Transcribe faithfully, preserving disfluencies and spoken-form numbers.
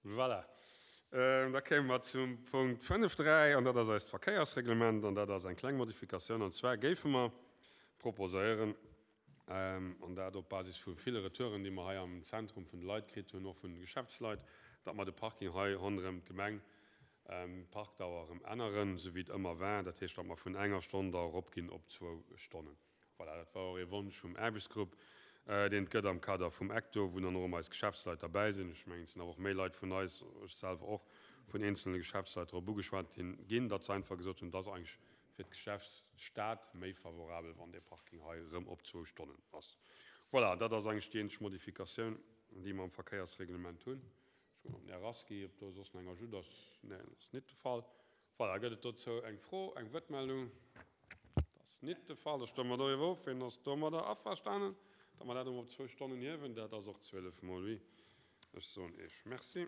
Voilà. Da kéime mer zum Punkt fënnef dräi, an dat ass eist Verkéiersreglement, an dat ass eng kleng Modifikatioun. An zwar géife mer proposéieren, an dat op Basis vu ville Retouren, déi mer hei am Zentrum vun de Leit kritt hunn, och vun de Geschäftsleit, datt mer de Parking hei ronderëm d'Gemeng, d'Parkdauer erëm änneren, esou wéi et ëmmer war, dat heescht, datt mer vun enger Stonn da eropginn op zwou Stonnen. Voilà, dat war och ee Wonsch vum Aarbechtsgrupp, deen et gëtt am Kader vum ECTO, wou dann och ëmmer eis Geschäftsleit derbäi sinn. Ech mengen, et sinn awer och méi Leit vun eis, ech selwer och, vun eenzelne Geschäftsleit drop ugeschwat ginn, datt se einfach gesot hunn, et ass eigentlech fir d'Geschäftsstad méi favorabel, wann dee Parking hei erëm op zwou Stonnen ass. Voilà, dat ass eigentlech déi eenzeg Modifikatioun, déi mer am Verkéiersreglement hunn. Ech kucken op den Här Rasqui, ob do soss nach eng Ajout ass. Neen, dat ass nit de Fall. Voilà, gëtt et dozou eng Fro, eng Wuertmeldung? Dat ass nit de Fall. Da stëmme mer doriwwer of. Wien ass domadder averstanen, datt mer dat erëm op zwou Stonnen hiewen? Dat ass och zwielef mol huit. Ech soen Iech Merci.